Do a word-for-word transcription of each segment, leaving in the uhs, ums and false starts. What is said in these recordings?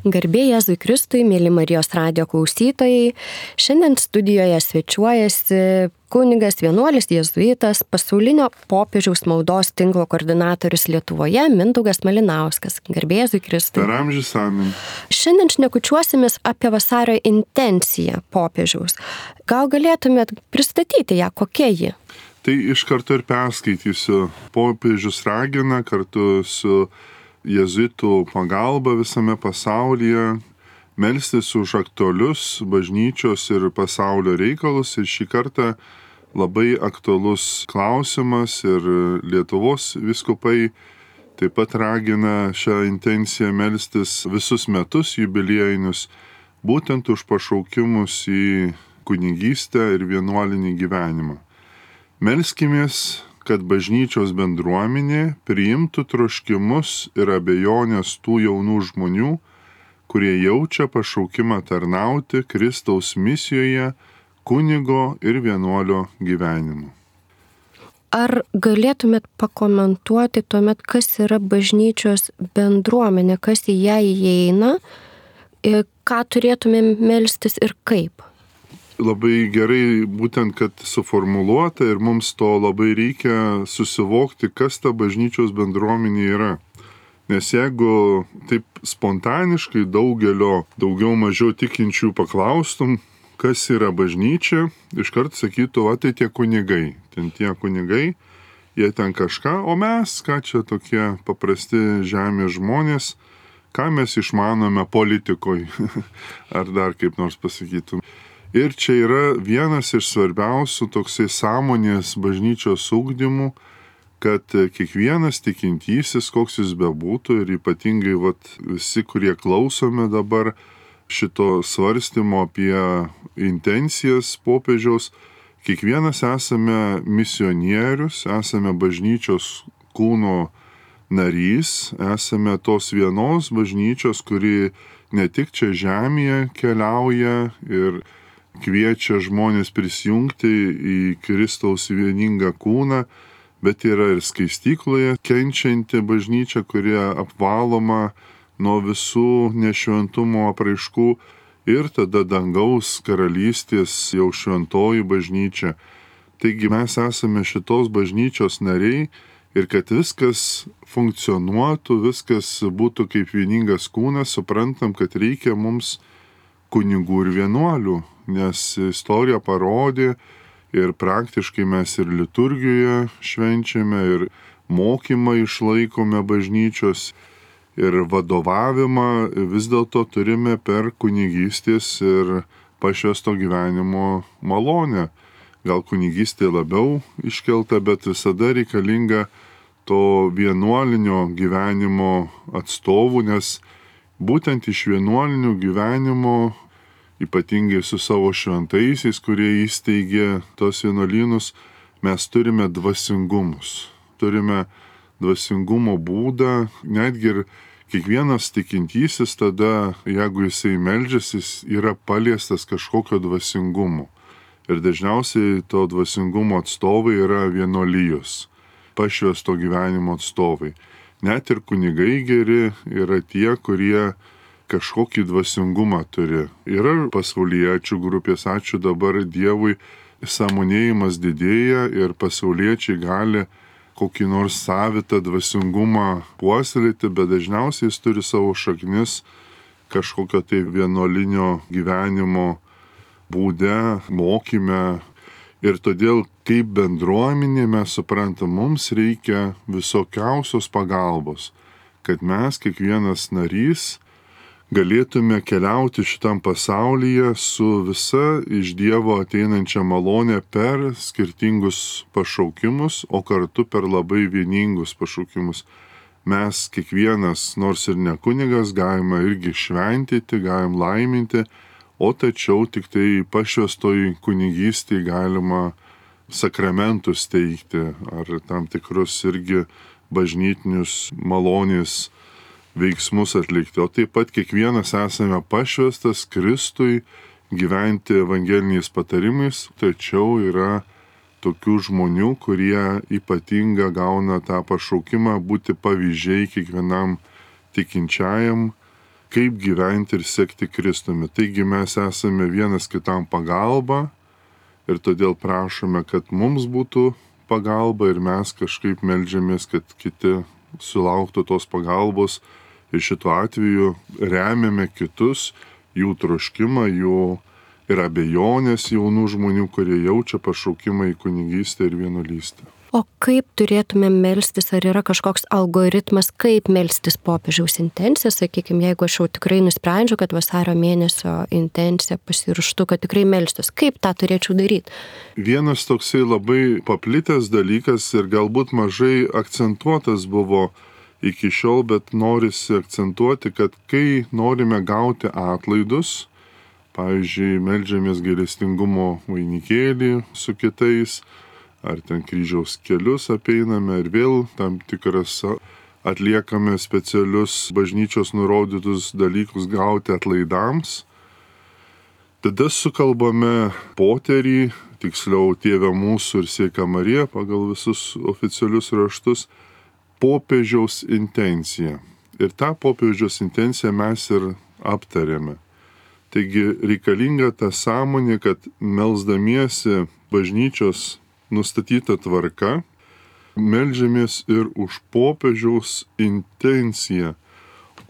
Garbė Jėzui Kristui, mėly Marijos radijo klausytojai. Šiandien studijoje svečiuojasi kunigas vienuolis jėzuitas, pasaulinio popiežiaus maldos tinklo koordinatorius Lietuvoje Mindaugas Malinauskas. Garbė Jėzui Kristui. Per amžius amen. Šiandien šnekučiuosimės apie vasario intenciją popiežiaus. Gal galėtumėt pristatyti ją, kokia ji? Tai iš karto ir perskaitysiu. Popiežius ragina kartu su jėzuitų pagalba visame pasaulyje melstis už aktualius bažnyčios ir pasaulio reikalus. Ir šį kartą labai aktualus klausimas ir Lietuvos vyskupai taip pat ragina šią intenciją melstis visus metus jubiliejinius, būtent už pašaukimus į kunigystę ir vienuolinį gyvenimą. Melskimės, kad bažnyčios bendruomenė priimtų troškimus ir abejonės tų jaunų žmonių, kurie jaučia pašaukimą tarnauti Kristaus misijoje, kunigo ir vienuolio gyvenimu. Ar galėtumėt pakomentuoti tuomet, kas yra bažnyčios bendruomenė, kas į ją įeina, ką turėtumėm melstis ir kaip? Labai gerai būtent, kad suformuluota ir mums to labai reikia susivokti, kas ta bažnyčios bendruomenė yra. Nes jeigu taip spontaniškai daugelio daugiau mažiau tikinčių paklaustum, kas yra bažnyčia, iškart sakytų, va tai tie kunigai, ten tie kunigai, jie ten kažką, o mes, ką čia tokie paprasti žemės žmonės, ką mes išmanome politikoj, ar dar kaip nors pasakytum. Ir čia yra vienas iš svarbiausių toksai sąmonės bažnyčios ugdymų, kad kiekvienas tikintysis, koks jis bebūtų, ir ypatingai vat, visi, kurie klausome dabar šito svarstymo apie intencijas popiežiaus, kiekvienas esame misionierius, esame bažnyčios kūno narys, esame tos vienos bažnyčios, kuri ne tik čia žemėje keliauja ir kviečia žmonės prisijungti į Kristaus vieningą kūną, bet yra ir skaistykloje kenčianti bažnyčia, kurie apvaloma nuo visų nešventumo apraiškų, ir tada dangaus karalystės jau šventoji bažnyčia. Taigi mes esame šitos bažnyčios nariai ir kad viskas funkcionuotų, viskas būtų kaip vieningas kūnas, suprantam, kad reikia mums kunigų ir vienuolių, nes istorija parodė ir praktiškai mes ir liturgijoje švenčiame, ir mokymą išlaikome bažnyčios, ir vadovavimą vis dėlto turime per kunigystės ir pašvęsto gyvenimo malonę. Gal kunigystė labiau iškelta, bet visada reikalinga to vienuolinio gyvenimo atstovų, nes būtent iš vienuolinio gyvenimo, ypatingai su savo šventaisiais, kurie įsteigė tos vienuolynus, mes turime dvasingumus. Turime dvasingumo būdą, netgi ir kiekvienas tikintysis tada, jeigu jisai meldžiasi, jis yra paliestas kažkokio dvasingumo. Ir dažniausiai to dvasingumo atstovai yra vienuolijos, pašvęsto gyvenimo atstovai. Net ir kunigai geri yra tie, kurie kažkokį dvasingumą turi. Yra pasauliečių grupės, ačiū dabar Dievui, sąmonėjimas didėja ir pasauliečiai gali kokį nors savitą dvasingumą puoselėti, bet dažniausiai jis turi savo šaknis kažkokio tai vienuolinio gyvenimo būde, mokyme. Ir todėl kaip bendruomenė mes suprantam, mums reikia visokiausios pagalbos, kad mes, kiekvienas narys, galėtume keliauti šitam pasaulyje su visa iš Dievo ateinančia malonė per skirtingus pašaukimus, o kartu per labai vieningus pašaukimus. Mes kiekvienas, nors ir ne kunigas, galime irgi šventyti, galim laiminti, o tačiau tik tai pašvęstoj kunigystėj galima sakramentus teikti ar tam tikrus irgi bažnytinius malonės veiksmus atlikti. O taip pat kiekvienas esame pašvęstas Kristui gyventi evangeliniais patarimais, tačiau yra tokių žmonių, kurie ypatingą gauna tą pašaukimą būti pavyzdžiai kiekvienam tikinčiajam kaip gyventi ir sekti Kristumi. Taigi mes esame vienas kitam pagalba ir todėl prašome, kad mums būtų pagalba ir mes kažkaip meldžiamės, kad kiti sulauktų tos pagalbos ir šituo atveju remiame kitus, jų troškimą, jų ir abejonės jaunų žmonių, kurie jaučia pašaukimą į kunigystę ir vienuolystę. O kaip turėtume melstis, ar yra kažkoks algoritmas, kaip melstis popiežiaus intenciją, sakykime, jeigu aš jau tikrai nusprendžiu, kad vasario mėnesio intencija pasiraštu, kad tikrai melstis, kaip tą turėčiau daryti? Vienas toksai labai paplitęs dalykas ir galbūt mažai akcentuotas buvo iki šiol, bet norisi akcentuoti, kad kai norime gauti atlaidus, pavyzdžiui, meldžiamės gailestingumo vainikėlį su kitais, ar ten kryžiaus kelius apeiname ir vėl tam tikras atliekame specialius bažnyčios nurodytus dalykus gauti atlaidams. Tada sukalbame poterį, tiksliau Tėve mūsų ir Sveika Marija pagal visus oficialius raštus, popiežiaus intenciją. Ir tą popiežiaus intenciją mes ir aptarėme. Taigi reikalinga ta sąmonė, kad melsdamiesi bažnyčios nustatyta tvarka, meldžiamės ir už popiežiaus intenciją,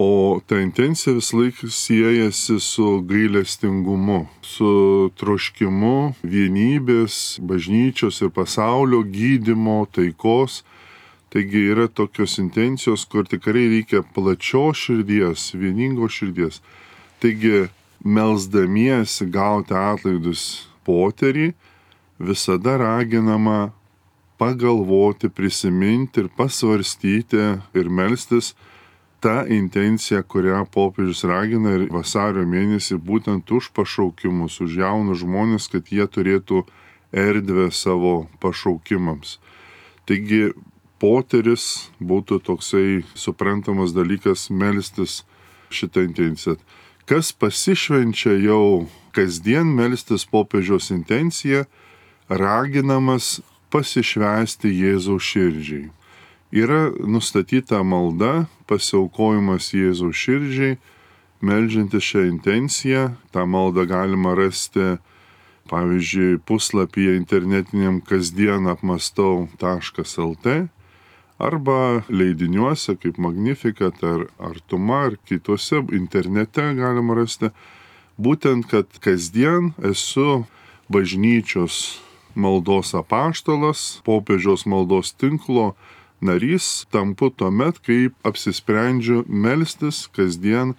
o ta intencija vis laik siejasi su gailestingumu, su troškimu vienybės, bažnyčios ir pasaulio gydymo, taikos. Taigi yra tokios intencijos, kur tikrai reikia plačios širdies, vieningos širdies. Taigi melsdamiesi gauti atlaidus poterį, visada raginama pagalvoti, prisiminti ir pasvarstyti ir melstis tą intenciją, kurią popiežius ragina ir vasario mėnesį būtent už pašaukimus, už jaunus žmonės, kad jie turėtų erdvę savo pašaukimams. Taigi poteris būtų toksai suprantamas dalykas melstis šitą intenciją. Kas pasišvenčia jau kasdien melstis popiežiaus intenciją, raginamas pasišvęsti Jėzaus širdžiai. Yra nustatyta malda, pasiaukojimas Jėzaus širdžiai, meldžiantis šią intenciją. Ta malda galima rasti, pavyzdžiui, puslapyje internetiniam kasdien apmastau taškas lt arba leidiniuose kaip Magnificat ar Artuma ar kitose internete galima rasti. Būtent, kad kasdien esu bažnyčios maldos apaštalas, popiežiaus maldos tinklo narys, tampu tuomet, kai apsisprendžiu melstis kasdien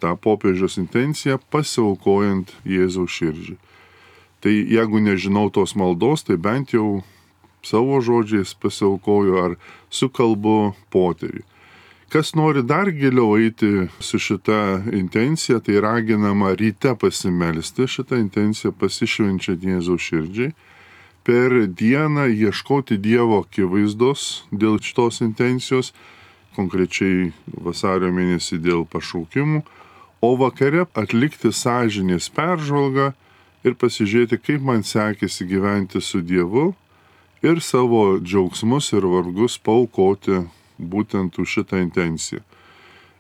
tą popiežiaus intenciją pasiaukojant Jėzaus širdžiai. Tai jeigu nežinau tos maldos, tai bent jau savo žodžiais pasiaukoju ar sukalbu poterį. Kas nori dar giliau eiti su šita intencija, tai raginama ryte pasimelsti šitą intenciją pasišvenčiant Jėzaus širdžiai. Per dieną ieškoti Dievo akivaizdos dėl šitos intencijos, konkrečiai vasario mėnesį dėl pašaukimų, o vakare atlikti sąžinės peržvalgą ir pasižiūrėti, kaip man sekėsi gyventi su Dievu ir savo džiaugsmus ir vargus paaukoti būtent už šitą intenciją.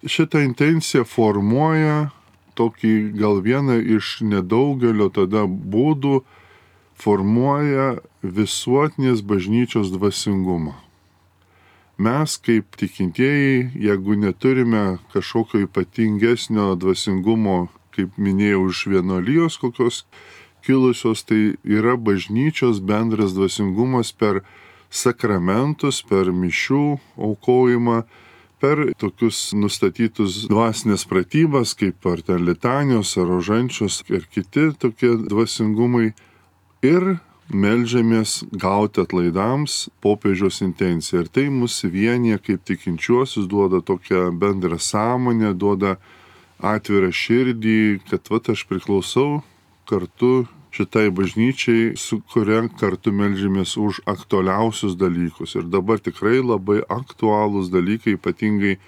Šitą intenciją formuoja tokį gal vieną iš nedaugelio tada būdų, formuoja visuotinės bažnyčios dvasingumą. Mes kaip tikintieji, jeigu neturime kažkokio ypatingesnio dvasingumo, kaip minėjau, iš vienuolijos kokios kilusios, tai yra bažnyčios bendras dvasingumas per sakramentus, per mišių aukojimą, per tokius nustatytus dvasinės pratybas, kaip ar ten litanijos, ar rožančios ir kiti tokie dvasingumai. Ir meldžiamės gauti atlaidams popiežiaus intenciją. Ir tai mus vienyje kaip tikinčiuosius, duoda tokią bendrą sąmonę, duoda atvirą širdį, kad vat aš priklausau kartu šitai bažnyčiai, su kuria kartu meldžiamės už aktualiausius dalykus. Ir dabar tikrai labai aktualūs dalykai, ypatingai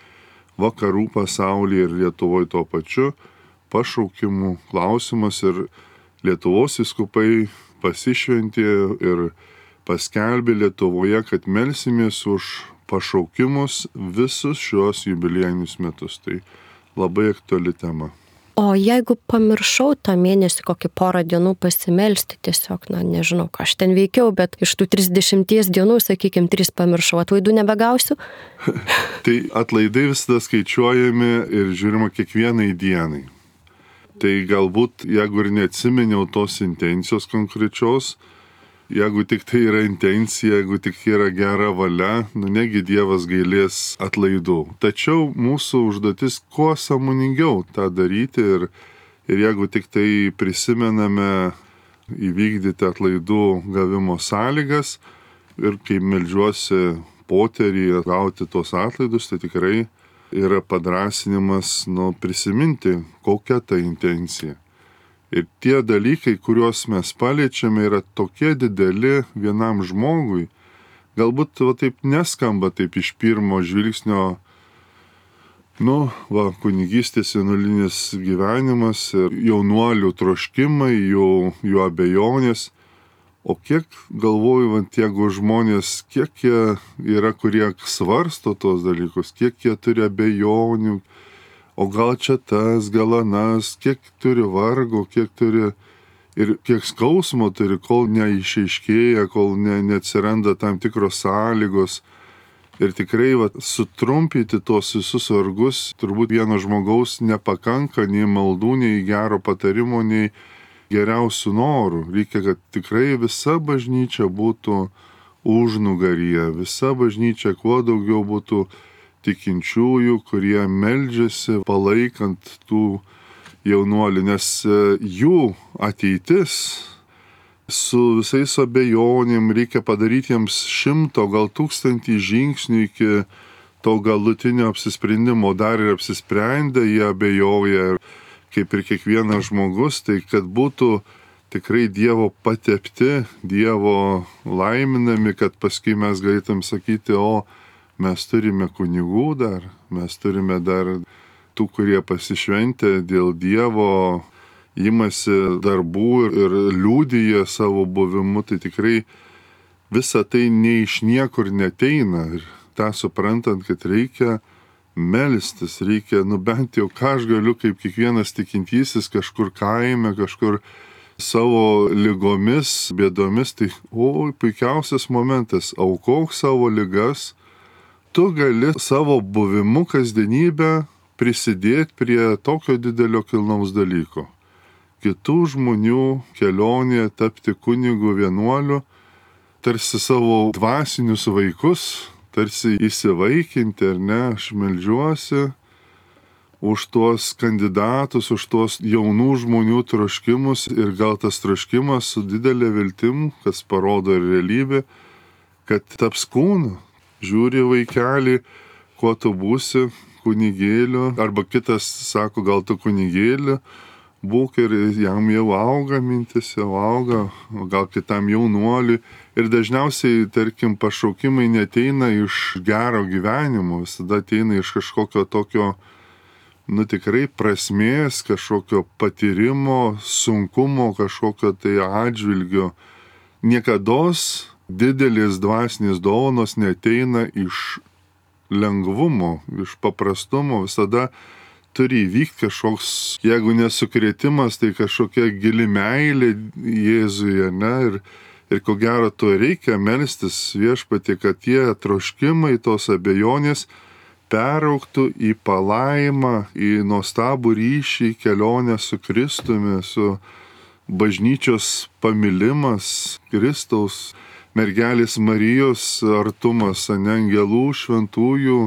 vakarų pasaulyje ir Lietuvoje tuo pačiu, pašaukimų klausimas. Ir Lietuvos vyskupai pasišventė ir paskelbė Lietuvoje, kad melsimės už pašaukimus visus šios jubiliejinius metus. Tai labai aktuali tema. O jeigu pamiršau tą mėnesį kokį porą dienų pasimelsti, tiesiog, na, nežinau, ką aš ten veikiau, bet iš tų trisdešimties dienų, sakykime, tris pamiršau, atlaidų nebegausiu? Tai atlaidai visada skaičiuojami ir žiūrima kiekvienai dienai. Tai galbūt, jeigu ir neatsiminiau tos intencijos konkrečios, jeigu tik tai yra intencija, jeigu tik yra gera valia, nu negi Dievas gailės atlaidų. Tačiau mūsų užduotis kuo sąmoningiau tą daryti ir, ir jeigu tik tai prisimename įvykdyti atlaidų gavimo sąlygas ir kai meldžiuosi poterį gauti tos atlaidus, tai tikrai yra padrasinimas nu, prisiminti, kokia ta intencija. Ir tie dalykai, kuriuos mes paliečiame, yra tokie dideli vienam žmogui. Galbūt va, taip neskamba taip iš pirmo žvilgsnio, nu, va, kunigystės vienuolinis gyvenimas ir jaunuolių troškimai, jų, jų abejonės. O kiek, galvoju, va, jeigu žmonės, kiek jie yra, kurie svarsto tos dalykus, kiek jie turi abejonių, o gal čia tas, gal anas, kiek turi vargo, kiek turi ir kiek skausmo turi, kol neišaiškėja, kol ne, neatsiranda tam tikros sąlygos. Ir tikrai va, sutrumpyti tos visus vargus, turbūt vieno žmogaus nepakanka nei maldų, nei gero patarimo, nei geriausių norų. Reikia, kad tikrai visa bažnyčia būtų užnugaryje, visa bažnyčia kuo daugiau būtų tikinčiųjų, kurie meldžiasi palaikant tų jaunuolių, nes jų ateitis su visais abejonėm reikia padaryti jiems šimto, gal tūkstantį žingsnių iki to galutinio apsisprendimo. Dar ir apsisprendę, jie abejoja, kaip ir kiekvienas žmogus, tai kad būtų tikrai Dievo patepti, Dievo laiminami, kad paskui mes galėtum sakyti, o mes turime kunigų dar, mes turime dar tų, kurie pasišventę dėl Dievo, imasi darbų ir liūdija savo buvimu, tai tikrai visa tai ne iš niekur neteina. Ir tą suprantant, kad reikia melstis, reikia, nu bent jau ką aš galiu kaip kiekvienas tikintysis kažkur kaime, kažkur savo ligomis, bėdomis, tai o, puikiausias momentas, aukok savo ligas. Tu gali savo buvimu kasdienybę prisidėti prie tokio didelio kilnaus dalyko. Kitų žmonių kelionėje tapti kunigu vienuoliu, tarsi savo dvasinius vaikus, tarsi įsivaikinti, ar ne, aš meldžiuosi už tuos kandidatus, už tuos jaunų žmonių troškimus ir gal tas troškimas su didelė viltim, kas parodo ir realybė, kad taps kūnu. Žiūri vaikelį, kuo tu būsi kunigėliu, arba kitas sako, gal tu kunigėliu, būk ir jam jau auga mintis, jau auga, o gal kitam jaunuoliui. Ir dažniausiai, tarkim, pašaukimai neteina iš gero gyvenimo, visada ateina iš kažkokio tokio, nu tikrai prasmės, kažkokio patyrimo, sunkumo, kažkokio tai atžvilgio. Niekados didelės dvasinės dovanos neteina iš lengvumo, iš paprastumo, visada turi įvykti kažkoks, jeigu nesukrėtimas, tai kažkokia gili meilė Jėzuje, ne, ir, ir ko gero to reikia melstis Viešpatie, kad tie troškimai, tos abejonės peraugtų į palaimą, į nuostabų ryšį, kelionę su Kristumi, su bažnyčios pamilimas, Kristaus, mergelės Marijos artumas, ane, angelų, šventųjų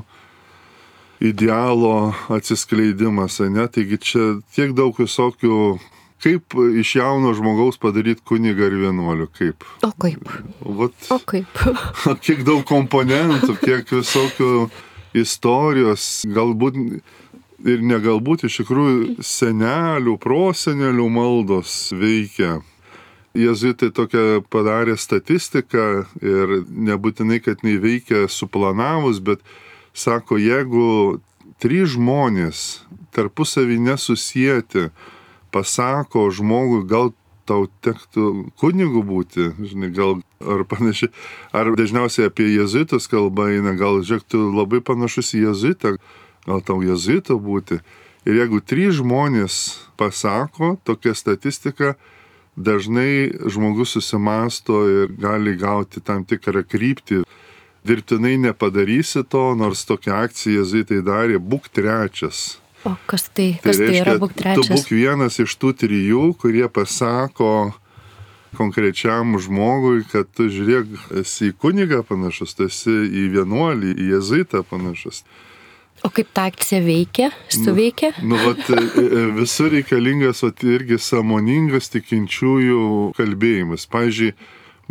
idealo atsiskleidimas, ane. Taigi čia tiek daug visokių, kaip iš jauno žmogaus padaryti kunigą ir vienuolių, kaip. O kaip? Vat, o kaip? Kiek daug komponentų, kiek visokių istorijos, galbūt ir negalbūt, iš tikrųjų senelių, prosenelių maldos veikia. Jėzuitai tokią padarė statistiką ir nebūtinai, kad neveikia suplanavus, bet sako, jeigu trys žmonės tarpusavį nesusijęti pasako žmogui, gal tau tektų kunigu būti, žinai, gal ar panašiai, ar dažniausiai apie jėzuitus kalba eina, gal žiūrėk, tu labai panašus į jėzuitą, gal tau jėzuito būti. Ir jeigu trys žmonės pasako, tokia statistika, dažnai žmogus susimasto ir gali gauti tam tikrą kryptį. Dirbtinai nepadarysi to, nors tokią akciją jėzuitai darė, būk trečias. O kas tai, kas tai, tai yra būk trečias? Tu būk vienas iš tų trijų, kurie pasako konkrečiam žmogui, kad tu žiūrėk, esi į kunigą panašus, tu esi į vienuolį, į jėzuitą panašus. O kaip ta akcija veikia, suveikia? Nu, nu vat, visur reikalingas vat, irgi sąmoningas tikinčiųjų kalbėjimas. Pavyzdžiui,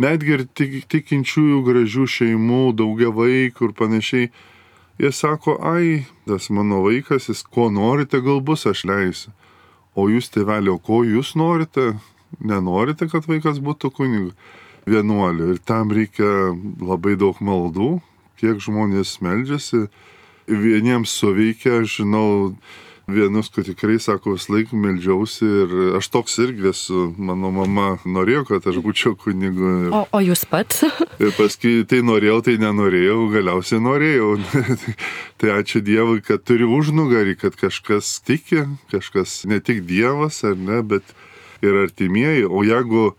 netgi ir tik, tikinčiųjų gražių šeimų, daugia vaikų ir panašiai, jie sako, ai, tas mano vaikas, jis ko norite, gal bus, aš leisiu. O jūs, tėvelė, o ko jūs norite? Nenorite, kad vaikas būtų kunigu vienuoliu. Ir tam reikia labai daug maldų, kiek žmonės meldžiasi. Vieniems suveikia, aš žinau, vienus, kad tikrai sako, vis laik meldžiausi ir aš toks irgi esu, mano mama norėjo, kad aš būčiau kunigu. O, o jūs pats? Ir paskui tai norėjau, tai nenorėjau, galiausiai norėjau. Tai ačiū Dievui, kad turi užnugarį, kad kažkas tiki, kažkas ne tik Dievas, ar ne, bet ir artimieji. O jeigu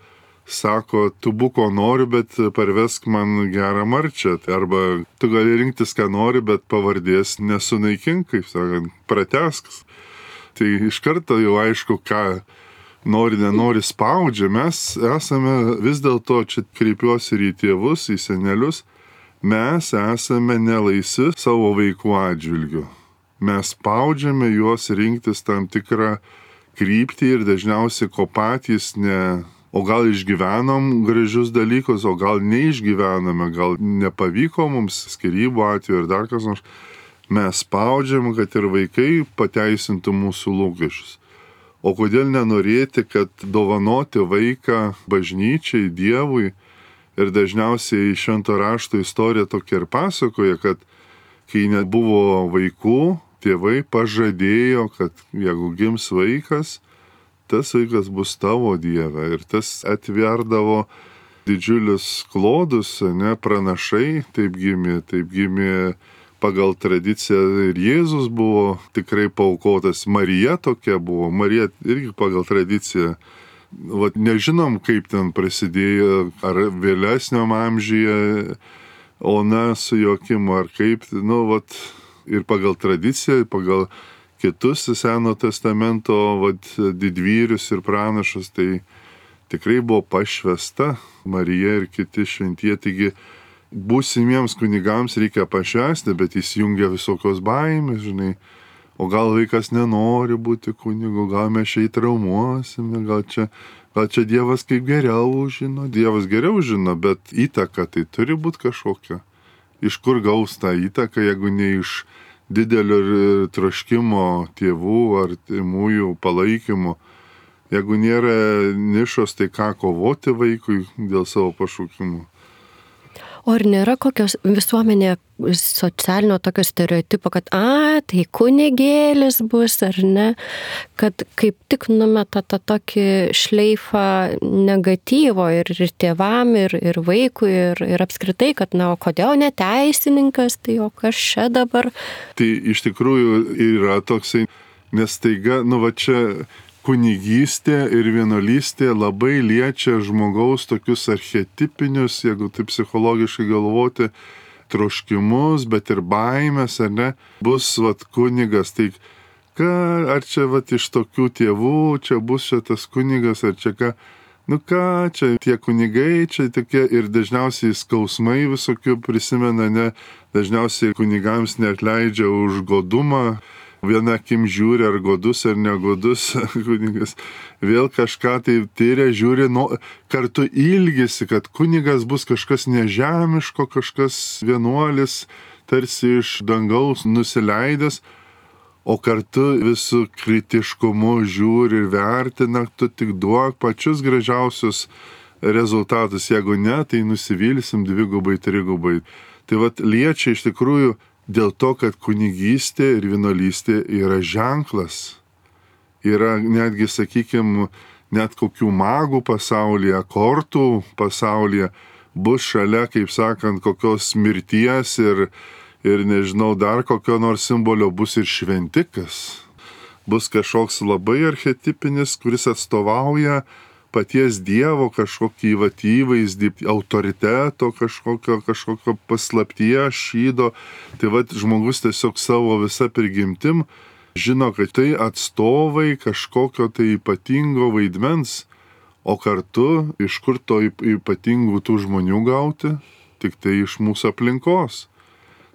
sako, tu būk ko nori, bet parvesk man gerą marčią. Arba tu gali rinktis, ką nori, bet pavardės nesunaikink, kaip sakant, pratesks. Tai iš karto jau aišku, ką nori, nenori spaudžia. Mes esame vis dėlto, čia kreipiuosi ir į tėvus, į senelius, mes esame nelaisvi savo vaikų atžvilgiu. Mes spaudžiame juos rinktis tam tikrą kryptį ir dažniausiai ko patys ne... O gal išgyvenom gražius dalykus, o gal neišgyvename, gal nepavyko mums skyrybų atveju ir dar kas nors. Mes spaudžiam, kad ir vaikai pateisintų mūsų lūkesčius. O kodėl nenorėti, kad dovanoti vaiką bažnyčiai, Dievui, ir dažniausiai švento rašto istorija tokia ir pasakoja, kad kai nebuvo vaikų, tėvai pažadėjo, kad jeigu gims vaikas, tas vaikas bus tavo, Dieve. Ir tas atverdavo didžiulius klodus, ne, pranašai taip gimė, taip gimė pagal tradiciją ir Jėzus buvo tikrai paaukotas. Marija tokia buvo, Marija irgi pagal tradiciją. Vat nežinom, kaip ten prasidėjo, ar vėlesniam amžiuje Ona su Joakimu, ar kaip, nu, vat, ir pagal tradiciją, pagal kitus Seno testamento vat, didvyrius ir pranašus, tai tikrai buvo pašvesta Marija ir kiti šventie. Taigi būsimiems kunigams reikia pašvesti, bet įsijungia visokios baimės, žinai. O gal vaikas nenori būti kunigu, gal mes čia įtraumuosime, gal čia, gal čia Dievas kaip geriau žino. Dievas geriau žino, bet įtaka tai turi būti kažkokia. Iš kur gaus tą įtaką, jeigu ne iš didelio troškimo tėvų ar tėvųjų palaikymo. Jeigu nėra nišos, tai ką kovoti vaikui dėl savo pašaukimų. O ar nėra kokios visuomenė socialinio tokio stereotipo, kad a, tai kunigėlis bus ar ne, kad kaip tik numeta tą tokį šleifą negatyvo ir, ir tėvam, ir, ir vaikui, ir, ir apskritai, kad na, o kodėl ne teisininkas, tai o kas čia dabar? Tai iš tikrųjų yra toksai, nes taiga, nu va čia kunigystė ir vienuolystė labai liečia žmogaus tokius archetipinius, jeigu taip psichologiškai galvoti, troškimus, bet ir baimės, ar ne, bus vat kunigas. Tai ką, ar čia vat iš tokių tėvų, čia bus čia tas kunigas, ar čia ką, nu ką, čia tie kunigai, čia tokie ir dažniausiai skausmai visokių prisimena, ne, dažniausiai kunigams neatleidžia už godumą. Viena akim žiūri, ar godus, ar negodus kunigas. Vėl kažką tai tyria, žiūri, nu, kartu ilgisi, kad kunigas bus kažkas nežemiško, kažkas vienuolis, tarsi iš dangaus nusileidęs, o kartu visų kritiškumu žiūri ir vertina, tu tik duok pačius gražiausius rezultatus. Jeigu ne, tai nusivilsim dvigubai, trigubai. Tai vat liečia iš tikrųjų dėl to, kad kunigystė ir vienuolystė yra ženklas. Yra netgi, sakykime, net kokių magų pasaulyje, kortų pasaulyje bus šalia, kaip sakant, kokios mirties ir, ir nežinau, dar kokio nors simbolio bus ir šventikas. bus kažkoks labai archetipinis, kuris atstovauja paties Dievo kažkokį vat įvaizdį, autoriteto kažkokio, kažkokio paslapties šydo. Tai vat žmogus tiesiog savo visą prigimtim žino, kad tai atstovai kažkokio tai ypatingo vaidmens, o kartu iš kur to ypatingų tų žmonių gauti? Tik tai iš mūsų aplinkos.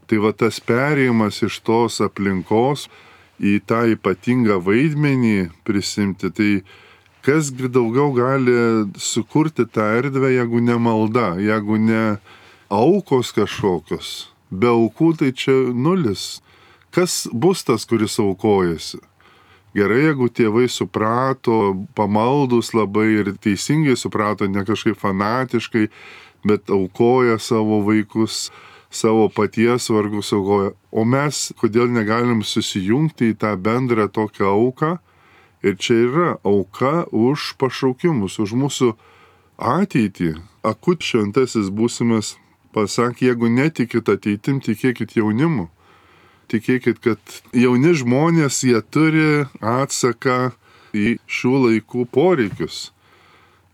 Tai va tas perėjimas iš tos aplinkos į tą ypatingą vaidmenį prisimti, tai kasgi daugiau gali sukurti tą erdvę, jeigu ne malda, jeigu ne aukos kažkokios. Be aukų tai čia nulis. Kas bus tas, kuris aukojasi? Gerai, jeigu tėvai suprato, pamaldus labai ir teisingai suprato, ne kažkaip fanatiškai, bet aukoja savo vaikus, savo paties vargus aukoja. O mes kodėl negalim susijungti į tą bendrą tokią auką? Ir čia yra auka už pašaukimus, už mūsų ateitį. Akut šventasis būsimas pasakė, jeigu netikit ateitim, tikėkit jaunimu. Tikėkit, kad jauni žmonės, jie turi atsaką į šių laikų poreikius.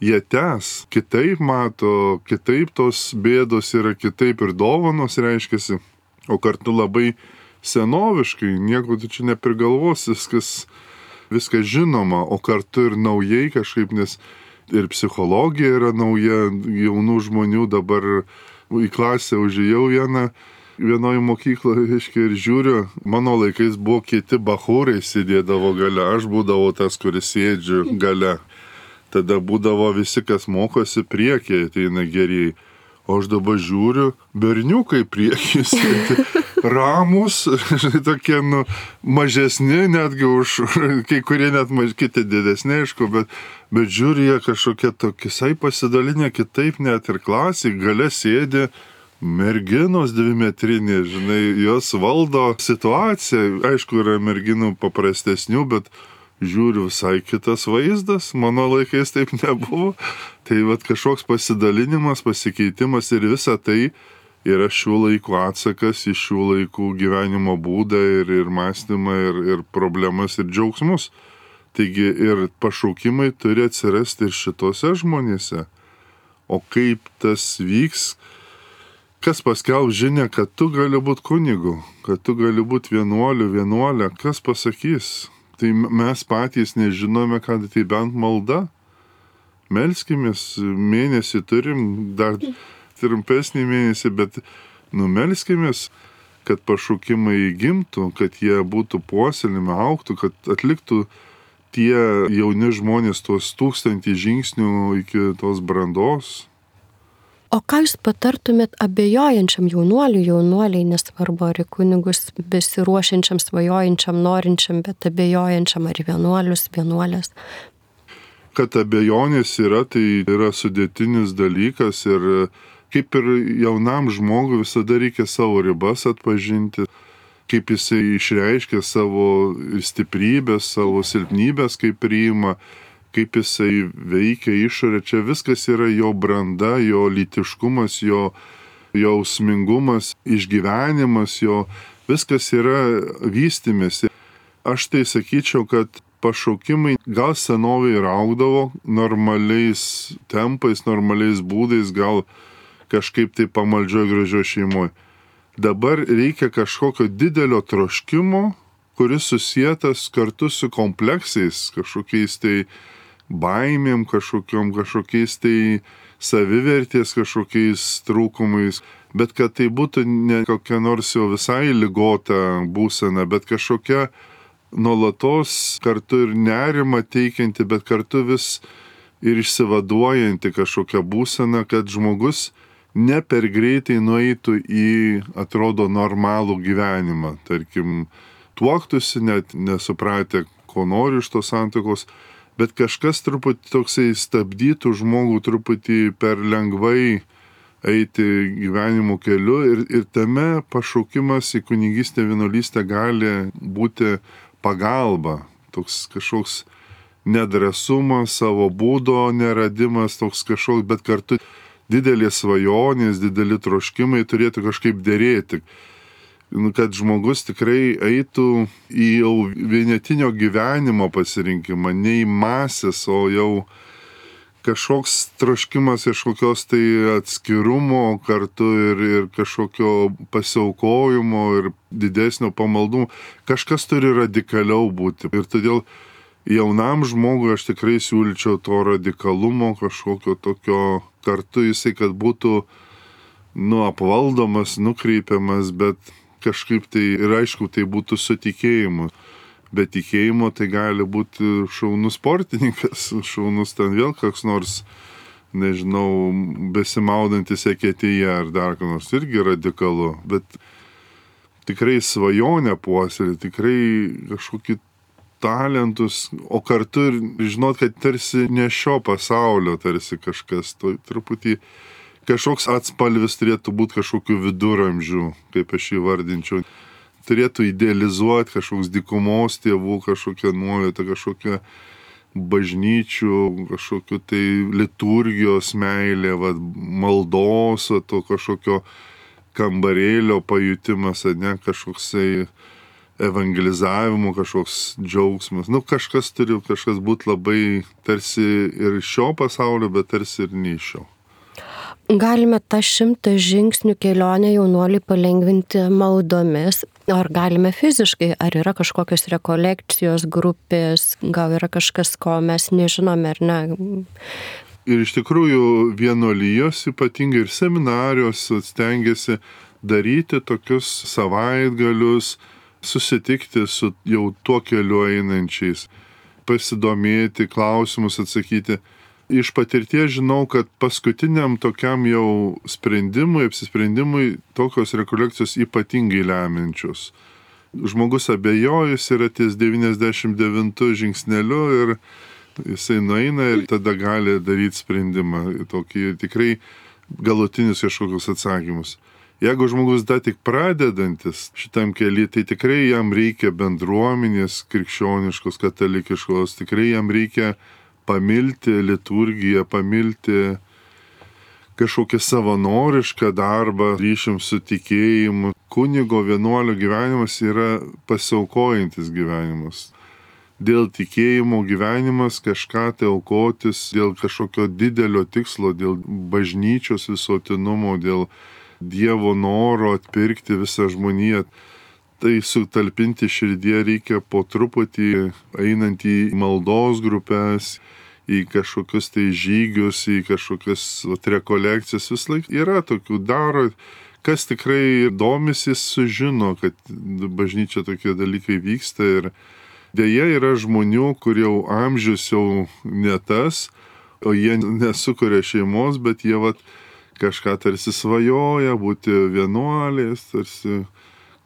Jie tęs, kitaip mato, kitaip tos bėdos yra, kitaip ir dovanos reiškiasi, o kartu labai senoviškai, nieko tu čia neprigalvosi, viskas, viskas žinoma, o kartu ir naujai kažkaip, nes ir psichologija yra nauja, jaunų žmonių dabar į klasę užėjau vieną, vienoje mokykloje, reiškia, ir žiūriu, mano laikais buvo kiti bachūrai sėdėdavo gale, aš būdavau tas, kuris sėdžiu gale. Tada būdavo visi, kas mokosi priekyje, ateina geriai. O aš dabar žiūriu, berniukai priekyje sėdi, ramus, tokie, nu, mažesni, netgi už, kai kurie net maž, kiti didesni, aišku, bet, bet žiūri, jie kažkokie tokisai pasidalinę kitaip, net ir klasiai, gale sėdi, merginos dvimetrinė, žinai, jos valdo situaciją. Aišku, yra merginų paprastesnių, bet žiūriu visai kitas vaizdas. Mano laikais taip nebuvo. Tai vat kažkoks pasidalinimas, pasikeitimas ir visa tai yra šių laikų atsakas į šių laikų gyvenimo būdą ir, ir mąstymą ir, ir problemas ir džiaugsmus. Taigi ir pašaukimai turi atsirasti ir šitose žmonėse. O kaip tas vyks? Kas paskelb žinią, kad tu gali būti kunigu, kad tu gali būti vienuoliu, vienuolė, kas pasakys? Tai mes patys nežinome, kad tai bent malda. Melskimės, mėnesį turim, dar trumpesnį mėnesį, bet numelskimės, kad pašaukimai gimtų, kad jie būtų puoselimi, augtų, kad atliktų tie jauni žmonės tuos tūkstantį žingsnių iki tos brandos. O ką jūs patartumėt abejojančiam jaunuoliui, jaunuoliai, nesvarbu ar į kunigus besiruošiančiam, svajojančiam, norinčiam, bet abejojančiam ar vienuolius, vienuolės? Kad abejonės yra, tai yra sudėtinis dalykas ir kaip ir jaunam žmogui visada reikia savo ribas atpažinti, kaip jisai išreiškia savo stiprybės, savo silpnybės, kaip priima, kaip jisai veikia išorę, čia viskas yra jo branda, jo lytiškumas, jo jausmingumas, išgyvenimas, jo viskas yra vystymėsi. Aš tai sakyčiau, kad pašaukimai gal senovėje ir augdavo normaliais tempais, normaliais būdais, gal kažkaip tai pamaldžioj gražioj šeimoje. Dabar reikia kažkokio didelio troškimo, kuris susietas kartu su kompleksais, kažkokiais tai baimėm, kažkokiom, kažkokiais tai savivertės, kažkokiais trūkumais, bet kad tai būtų ne kokia nors jau visai ligota būsena, bet kažkokia nuolatos kartu ir nerimą teikianti, bet kartu vis ir išsivaduojanti kažkokia būsena, kad žmogus ne per greitai nueitų į, atrodo, normalų gyvenimą. Tarkim, tuoktųsi, net nesupratę, ko nori iš tos santuokos, bet kažkas truputį toksai stabdytų žmogų truputį per lengvai eiti gyvenimo keliu ir, ir tame pašaukimas į kunigystę, vienuolystę gali būti pagalba, toks kažkoks nedrąsumas, savo būdo neradimas, toks kažkoks, bet kartu didelės svajonės, dideli troškimai turėtų kažkaip dėrėti. nu, kad žmogus tikrai eitų į jau vienetinio gyvenimo pasirinkimą, ne į masės, o jau kažkoks troškimas kažkokios tai atskirumo kartu ir, ir kažkokio pasiaukojimo ir didesnio pamaldumo. Kažkas turi radikaliau būti. Ir todėl jaunam žmogui aš tikrai siūlyčiau to radikalumo, kažkokio tokio kartu jisai, kad būtų nu, apvaldomas, nukreipiamas, bet kažkaip tai ir aišku, tai būtų su tikėjimu. Bet tikėjimo tai gali būti šaunus sportininkas, šaunus ten vėl koks nors, nežinau, besimaudantis eketėje ar dar ką nors, irgi radikalu. Bet tikrai svajonę puoselėti, tikrai kažkokį talentus, o kartu ir žinot, kad tarsi ne šio pasaulio, tarsi kažkas, to truputį kažkoks atspalvis turėtų būti kažkokių viduramžių, kaip aš įvardinčiau. Turėtų idealizuoti kažkoks dykumos tėvų, kažkokią nuovietą, kažkokią bažnyčių, kažkokių tai liturgijos meilė, va, maldos, to kažkokio kambarėlio pajutimas, ne, kažkoksai evangelizavimo, kažkoks džiaugsmas. Nu, kažkas turi kažkas būti labai tarsi ir šio pasaulio, bet tarsi ir ne šio. Galime tą šimtą žingsnių kelionę jaunuoliui palengvinti maldomis, ar galime fiziškai, ar yra kažkokios rekolekcijos grupės, gal yra kažkas, ko mes nežinome, ar ne? Ir iš tikrųjų vienuolijos, ypatingai ir seminarijos, stengiasi daryti tokius savaitgalius, susitikti su jau tuo keliu einančiais, pasidomėti, klausimus atsakyti. Iš patirties žinau, kad paskutiniam tokiam jau sprendimui, apsisprendimui tokios rekolekcijos ypatingai lemiančios. Žmogus abejojus yra ties devyniasdešimt devintu žingsneliu ir jisai nueina ir tada gali daryti sprendimą, tokį tikrai galutinius kažkokius atsakymus. Jeigu žmogus dar tik pradedantis šitam keliui, tai tikrai jam reikia bendruomenės krikščioniškos, katalikiškos, tikrai jam reikia pamilti liturgiją, pamilti kažkokią savanorišką darbą, ryšium su tikėjimu. Kunigo vienuolio gyvenimas yra pasiaukojantis gyvenimas. Dėl tikėjimo gyvenimas kažką tai aukotis, dėl kažkokio didelio tikslo, dėl bažnyčios visuotinumo, dėl Dievo noro atpirkti visą žmoniją. Tai sutalpinti širdie reikia po truputį, einant į maldos grupės, į kažkokius tai žygius, į kažkokias rekolekcijas. Vis laik yra tokių daro, kas tikrai domisi, sužino, kad bažnyčia tokie dalykai vyksta. Ir dėja yra žmonių, kur jau amžius jau ne tas, o jie nesukuria šeimos, bet jie vat kažką tarsi svajoja, būti vienuoliais, tarsi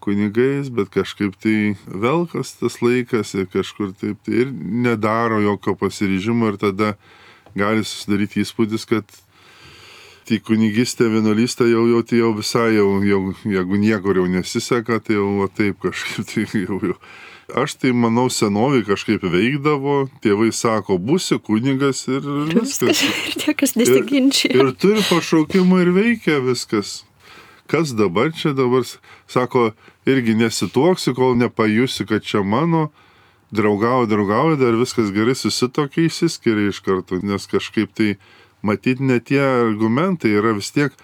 kunigais, bet kažkaip tai velkas tas laikas ir kažkur taip tai ir nedaro jokio pasiryžimo ir tada gali susidaryti įspūdis, kad tai kunigystė, vienuolystė jau, jau, tai jau visai, jau, jau, jeigu niekur jau nesiseka, tai jau va, taip kažkaip tai jau, jau. Aš tai manau senovį kažkaip veikdavo, tėvai sako, būsi kunigas ir viskas. Ir niekas nesiginčia. Ir, ir turi pašaukimą ir veikia viskas. Kas dabar čia dabar, sako, irgi nesituoksi, kol nepajusi, kad čia mano, draugauja, draugauja, dar viskas gerai susitokia, išsiskiria iš karto, nes kažkaip tai matyti ne tie argumentai yra vis tiek,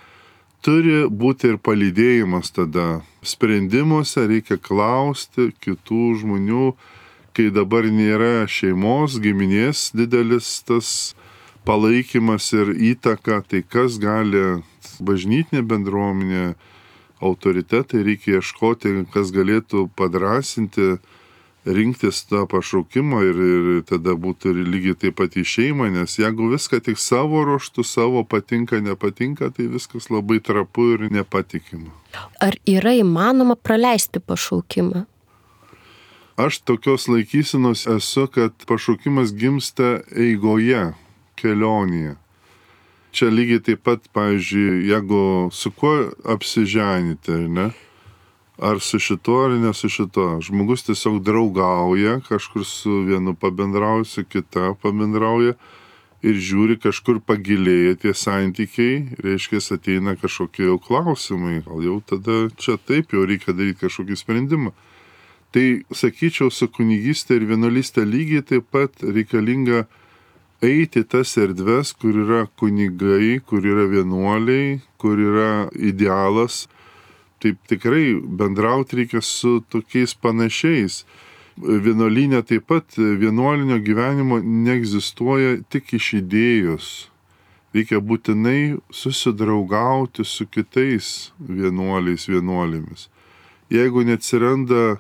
turi būti ir palydėjimas tada. Sprendimuose reikia klausti kitų žmonių, kai dabar nėra šeimos, giminės didelis tas palaikymas ir įtaka, tai kas gali bažnytinė bendruomenė, autoritetai reikia ieškoti, kas galėtų padrasinti, rinktis tą pašaukimą ir, ir tada būtų ir lygiai taip pat į šeimą, nes jeigu viską tik savo ruoštų, savo patinka, nepatinka, tai viskas labai trapu ir nepatikima. Ar yra įmanoma praleisti pašaukimą? Aš tokios laikysenos esu, kad pašaukimas gimsta eigoje, kelionėje. Čia lygiai taip pat, pavyzdžiui, jeigu su kuo apsiženyti, ne? Ar su šituo, ar ne su šituo. Žmogus tiesiog draugauja, kažkur su vienu pabendrauja, su kita pabendrauja. ir žiūri, kažkur pagilėja tie santykiai, reiškia, ateina kažkokie jau klausimai, gal jau tada čia taip jau reikia daryti kažkokį sprendimą. Tai, sakyčiau, su kunigystė ir vienuolystė lygiai taip pat reikalinga eiti tas erdves, kur yra kunigai, kur yra vienuoliai, kur yra idealas. Taip tikrai bendrauti reikia su tokiais panašiais. Vienuolinė taip pat vienuolinio gyvenimo neegzistuoja tik iš idėjos. Reikia būtinai susidraugauti su kitais vienuoliais, vienuolėmis. Jeigu neatsiranda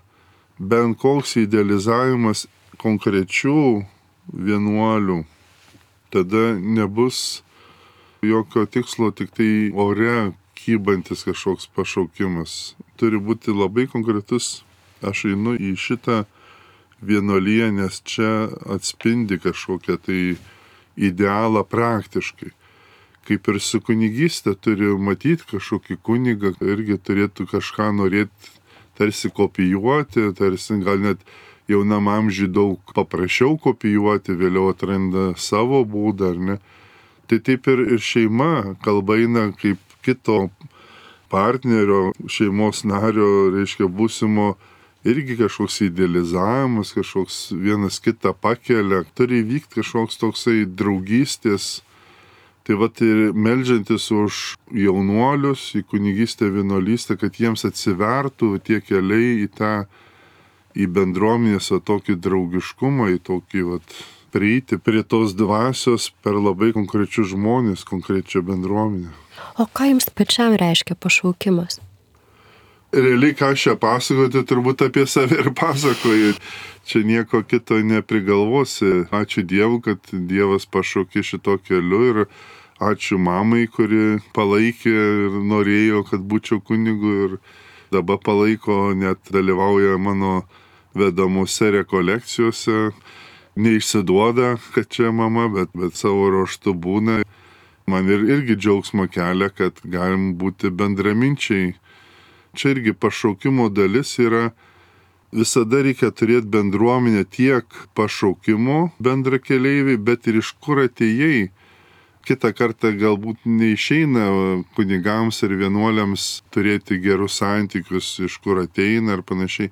bent koks idealizavimas konkrečių vienuolių, tada nebus jokio tikslo, tik tai ore kybantis kažkoks pašaukimas. Turi būti labai konkretus, aš einu į šitą vienuoliją, nes čia atspindi kažkokią tai idealą praktiškai. Kaip ir su kunigystė turi matyti kažkokį kunigą, irgi turėtų kažką norėti tarsi kopijuoti, tarsi gal net jaunam amžiui daug paprasčiau kopijuoti, vėliau atranda savo būdą, ar ne. Tai taip ir, ir šeima, kalba eina kaip kito partnerio, šeimos nario, reiškia būsimo, irgi kažkoks idealizavimas, kažkoks vienas kitą pakelia, turi vykti kažkoks toksai draugystės. Tai vat ir meldžiantis už jaunuolius į kunigystę, vienuolystę, kad jiems atsivertų tie keliai į tą į bendruomenės tokį draugiškumą, į tokį vat, prieiti prie tos dvasios per labai konkrečius žmonės, konkrečią bendruomenę. O ką jums pačiam reiškia pašaukimas? Realiai, ką aš čia pasakoju, tai turbūt apie save ir pasakoju. Čia nieko kito neprigalvosi. Ačiū Dievui, kad Dievas pašaukė šito keliu ir ačiū mamai, kuri palaikė ir norėjo, kad būčiau kunigu ir dabar palaiko, net dalyvauja mano vedamuose rekolekcijose, neišsiduoda, kad čia mama, bet, bet savo ruožtu būna. Man ir, irgi džiaugsmo kelia, kad galim būti bendraminčiai. Čia irgi pašaukimo dalis yra, visada reikia turėti bendruomenę tiek pašaukimo bendrakeleiviai, bet ir iš kur atėjai. Kitą kartą galbūt neišeina kunigams ir vienuoliams turėti gerus santykius, iš kur ateina ir panašiai.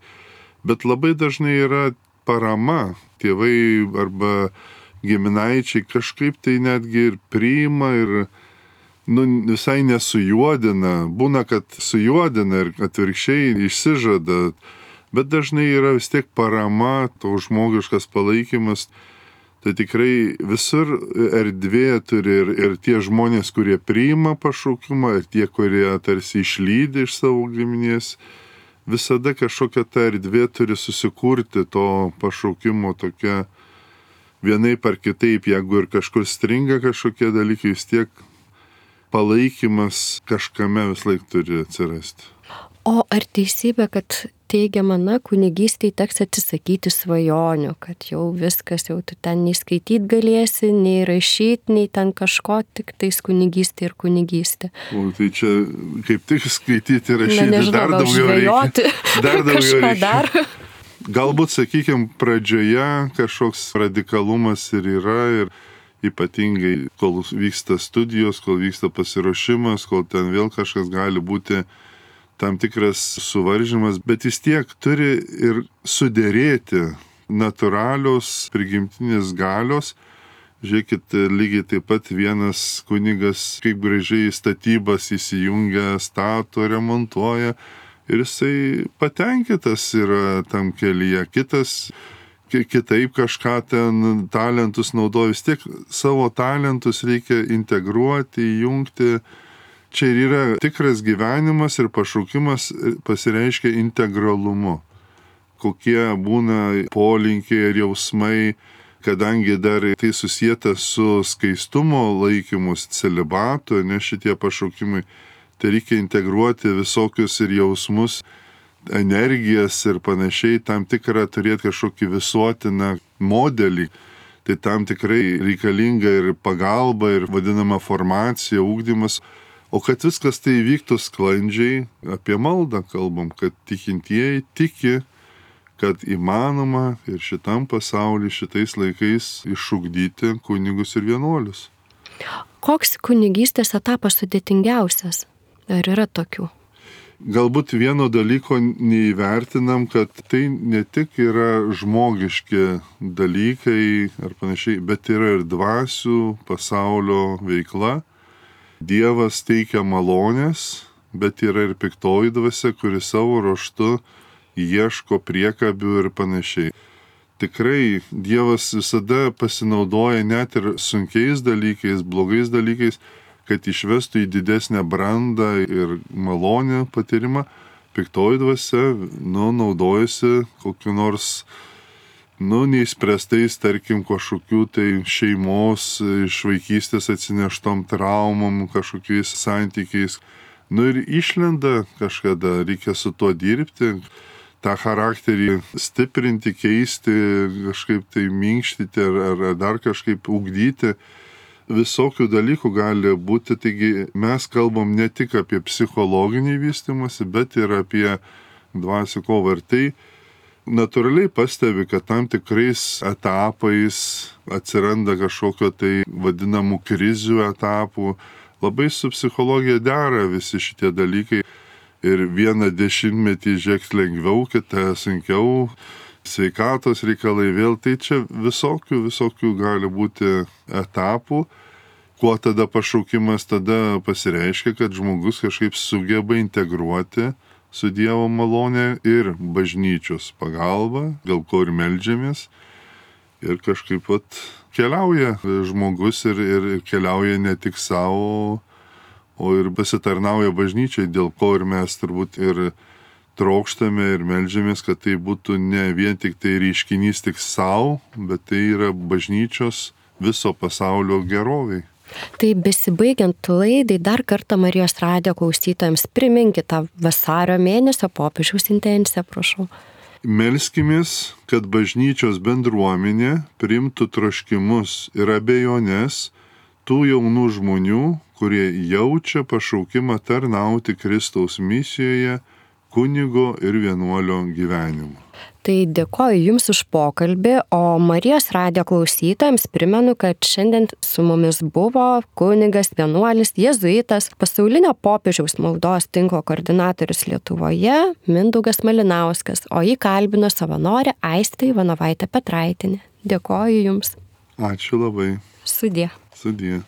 Bet labai dažnai yra parama, tėvai arba giminaičiai kažkaip tai netgi ir priima ir nu, visai nesujuodina. Būna, kad sujuodina ir atvirkščiai išsižada, bet dažnai yra vis tiek parama, to žmogiškas palaikymas. Tai tikrai visur erdvė turi ir, ir tie žmonės, kurie priima pašaukimą, ir tie, kurie tarsi išlydi iš savo giminės. Visada kažkokia ta erdvė turi susikurti to pašaukimo tokia vienaip ar kitaip, jeigu ir kažkur stringa kažkokie dalykai, vis tiek palaikymas kažkame vis laik turi atsirasti. O ar teisybė, kad teigiama, na, kunigystėje teks atsisakyti svajonių, kad jau viskas, jau tu ten nei skaityti galėsi, nei rašyti, nei ten kažko, tik tais kunigystė ir kunigystė. O tai čia kaip tik skaityti ir rašyti, na, nežinau, dar daugiau žvejoti, reikia. Dar daugiau kažką reikia. dar. Galbūt, sakykime, pradžioje kažkoks radikalumas ir yra, ir ypatingai, kol vyksta studijos, kol vyksta pasiruošimas, kol ten vėl kažkas gali būti tam tikras suvaržymas, bet vis tiek turi ir suderėti natūralios prigimtinės galios. Žiūrėkit, lygiai taip pat vienas kunigas, kaip gražiai statybas įsijungia, stato, remontuoja ir jisai patenkintas yra tam kelyje. Kitas kitaip kažką ten talentus naudoja, vis tiek savo talentus reikia integruoti, įjungti. Čia ir yra tikras gyvenimas ir pašaukimas pasireiškia integralumu. Kokie būna polinkiai ir jausmai, kadangi dar tai susijęta su skaistumo laikymus, celibatu, ne šitie pašaukimai, tai reikia integruoti visokius ir jausmus, energijas ir panašiai, tam tikrą turėti kažkokį visuotiną modelį. Tai tam tikrai reikalinga ir pagalba, ir vadinama formacija, ugdymas. O kad viskas tai vyktų sklandžiai, apie maldą kalbam, kad tikintieji tiki, kad įmanoma ir šitam pasaulyje, šitais laikais išugdyti kunigus ir vienuolius. Koks kunigystės etapas sudėtingiausias? Ar yra tokių? Galbūt vieno dalyko neįvertinam, kad tai ne tik yra žmogiški dalykai ar panašiai, bet yra ir dvasių pasaulio veikla. Dievas teikia malonės, bet yra ir piktoji dvasia, kuri savo ruožtu ieško priekabių ir panašiai. Tikrai Dievas visada pasinaudoja net ir sunkiais dalykais, blogais dalykais, kad išvestų į didesnę brandą ir malonę patyrimą. Piktoji dvasia, nu, naudojasi kokiu nors, nu, neįspręstais, tarkim, kažkokių tai šeimos iš vaikystės atsineštom traumom, kažkokiais santykiais. Nu ir išlenda kažkada, reikia su tuo dirbti, tą charakterį stiprinti, keisti, kažkaip tai minkštyti ar, ar, ar dar kažkaip ugdyti. Visokių dalykų gali būti, taigi mes kalbam ne tik apie psichologinį vystymąsi, bet ir apie dvasių kovą. Ir tai natūraliai pastebi, kad tam tikrais etapais atsiranda kažkokio tai vadinamų krizių etapų. Labai su psichologija dera visi šitie dalykai. Ir vieną dešimtmetį žiūrėk lengviau, kitą sunkiau. Sveikatos reikalai vėl, tai čia visokių, visokių gali būti etapų. Kuo tada pašaukimas tada pasireiškia, kad žmogus kažkaip sugeba integruoti su Dievo malonė ir bažnyčios pagalba, dėl ko ir meldžiamės. Ir kažkaip vat keliauja žmogus ir, ir keliauja ne tik savo, o ir pasitarnauja bažnyčiai, dėl ko ir mes turbūt ir trokštame ir meldžiamės, kad tai būtų ne vien tik tai reiškinys tik savo, bet tai yra bažnyčios viso pasaulio geroviai. Tai besibaigiant laidai, dar kartą Marijos radijo klausytojams priminkite tą vasario mėnesio popiežiaus intenciją, prašau. Melskimės, kad bažnyčios bendruomenė priimtų troškimus ir abejonės tų jaunų žmonių, kurie jaučia pašaukimą tarnauti Kristaus misijoje, kunigo ir vienuolio gyvenimu. Tai dėkoju Jums už pokalbį, o Marijos radijo klausytojams primenu, kad šiandien su mumis buvo kunigas, vienuolis, jėzuitas, pasaulinio popiežiaus maldos tinklo koordinatorius Lietuvoje Mindaugas Malinauskas, o jį kalbino savanorė Aistė Ivanovaitė Petraitinė. Dėkoju Jums. Ačiū labai. Sudie. Sudie.